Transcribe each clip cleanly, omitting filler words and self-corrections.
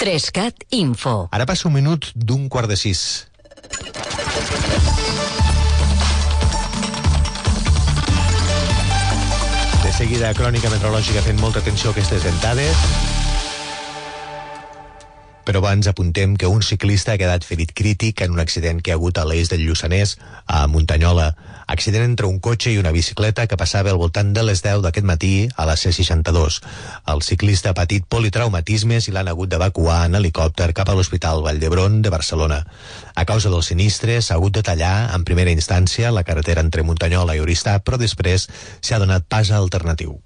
3CAT Info. Ara passa un minut d'un quart de 6. De seguida, crònica meteorològica fent molta atenció a aquestes ventades. Però abans apuntem que un ciclista ha quedat ferit crític en un accident que ha hagut a l'eix del Lluçanès, a Muntanyola. Accident entre un cotxe i una bicicleta que passava al voltant de les 10 d'aquest matí a la C62. El ciclista ha patit politraumatismes i l'han hagut d'evacuar en helicòpter cap a l'Hospital Vall d'Hebron de Barcelona. A causa del sinistre s'ha hagut de tallar en primera instància la carretera entre Muntanyola i Oristà, però després s'ha donat pas alternatiu.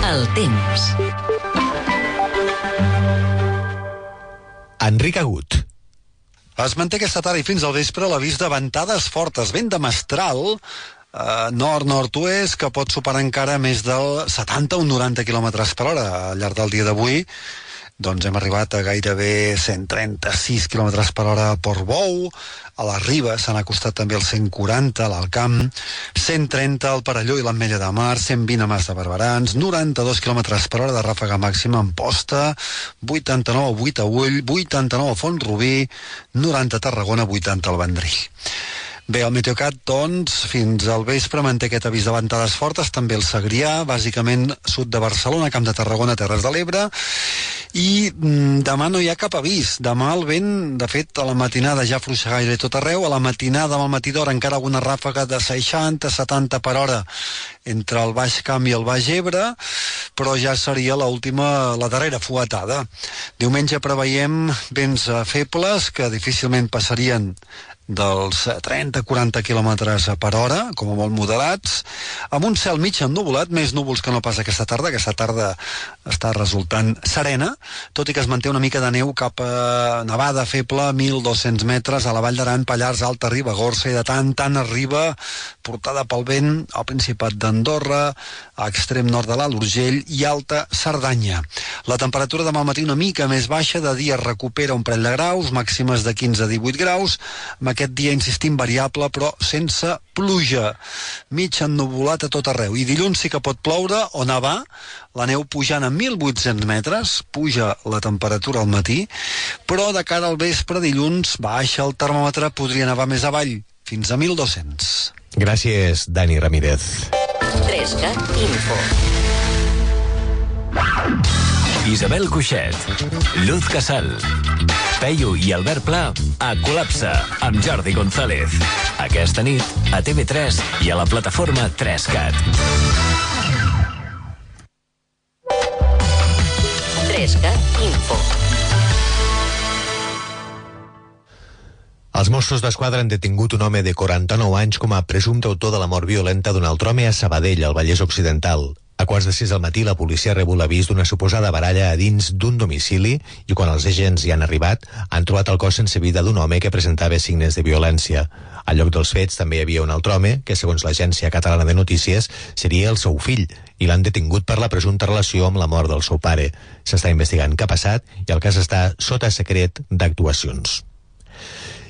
El temps. Enric Agut. Es manté aquesta tarda i fins al vespre l'avís de ventades fortes, vent de mestral, nord-nord-oest, que pot superar encara més del 70 o 90 km per hora. Al llarg del dia d'avui doncs hem arribat a gairebé 136 km per hora a Portbou, a la Riba s'han acostat també els 140 a l'Alcamp, 130 al Perelló i l'Ametlla de Mar, 120 a Mas de Barberans, 92 km per hora de ràfega màxima en Posta, 89 a Buitaüll, 89 a Font-rubí, 90 a Tarragona, 80 al Vendrell. Bé, el Meteocat, doncs, fins al vespre manté aquest avís de ventades fortes, també el Segrià, bàsicament sud de Barcelona, Camp de Tarragona, Terres de l'Ebre, i demà no hi ha cap avís. Demà el vent, de fet, a la matinada ja fluixa gairebé tot arreu, a la matinada amb el matí d'hora encara alguna ràfega de 60-70 per hora entre el Baix Camp i el Baix Ebre, però ja seria la darrera fuetada. Diumenge preveiem vents febles que difícilment passarien dels 30-40 km per hora, com a molt moderats, amb un cel mig ennuvolat, més núvols que no pas aquesta tarda. Aquesta tarda està resultant serena, tot i que es manté una mica de neu cap a nevada feble, 1.200 metres, a la Vall d'Aran, Pallars, Alta Ribagorça, i de tant arriba, portada pel vent, al Principat d'Andorra, a extrem nord de l'Alt Urgell i Alta Cerdanya. La temperatura demà al matí una mica més baixa, de dia recupera un parell de graus, màximes de 15 a 18 graus, amb aquest dia, insistim, variable, però sense pluja. Mig ennuvolat a tot arreu. I dilluns sí que pot ploure o nevar, la neu pujant a 1.800 metres, puja la temperatura al matí, però de cara al vespre, dilluns, baixa el termòmetre, podria nevar més avall, fins a 1.200. Gràcies, Dani Ramírez. 3CAT Info. Isabel Cuixet, Luz Casal, Peyu i Albert Pla a Col·lapse amb Jordi González. Aquesta nit a TV3 i a la plataforma 3CAT. 3CAT Info. Els Mossos d'Esquadra han detingut un home de 49 anys com a presumpte autor de la mort violenta d'un altre home a Sabadell, al Vallès Occidental. A quarts de 6 del matí, la policia ha rebut l'avís d'una suposada baralla a dins d'un domicili i quan els agents hi han arribat, han trobat el cos sense vida d'un home que presentava signes de violència. Al lloc dels fets també hi havia un altre home que, segons l'Agència Catalana de Notícies, seria el seu fill i l'han detingut per la presumpta relació amb la mort del seu pare. S'està investigant què ha passat i el cas està sota secret d'actuacions.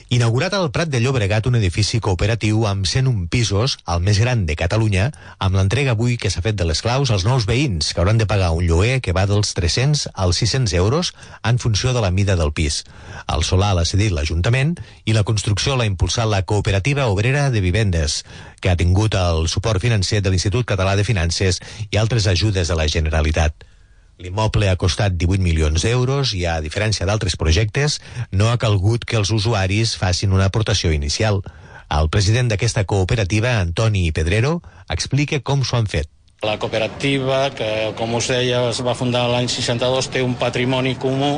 Inaugurat al Prat de Llobregat un edifici cooperatiu amb 101 pisos, el més gran de Catalunya, amb l'entrega avui que s'ha fet de les claus als nous veïns, que hauran de pagar un lloguer que va dels 300 als 600 euros en funció de la mida del pis. El solar l'ha cedit l'Ajuntament i la construcció l'ha impulsat la Cooperativa Obrera de Vivendes, que ha tingut el suport financer de l'Institut Català de Finances i altres ajudes de la Generalitat. L'immoble ha costat 18 milions d'euros i, a diferència d'altres projectes, no ha calgut que els usuaris facin una aportació inicial. El president d'aquesta cooperativa, Antoni Pedrero, explica com s'ho han fet. La cooperativa, que com us deia es va fundar l'any 62, té un patrimoni comú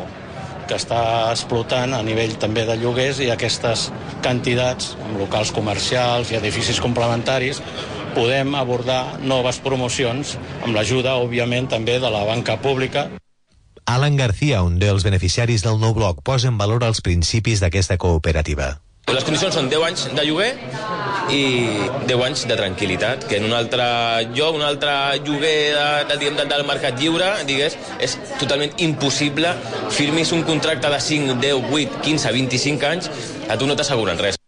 que està explotant a nivell també de lloguers i aquestes quantitats, amb locals comercials i edificis complementaris, podem abordar noves promocions amb l'ajuda, òbviament, també de la banca pública. Alan García, un dels beneficiaris del nou bloc, posa en valor els principis d'aquesta cooperativa. Les condicions són 10 anys de lloguer i 10 anys de tranquil·litat, que en un altre lloc, un altre lloguer del mercat lliure, digues, és totalment impossible. Firmis un contracte de 5, 10, 8, 15, 25 anys, a tu no t'asseguren res.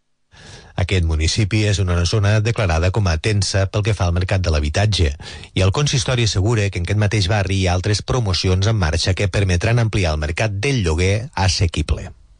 Aquest municipi és una zona declarada com a tensa pel que fa al mercat de l'habitatge i el consistori assegura que en aquest mateix barri hi ha altres promocions en marxa que permetran ampliar el mercat del lloguer assequible.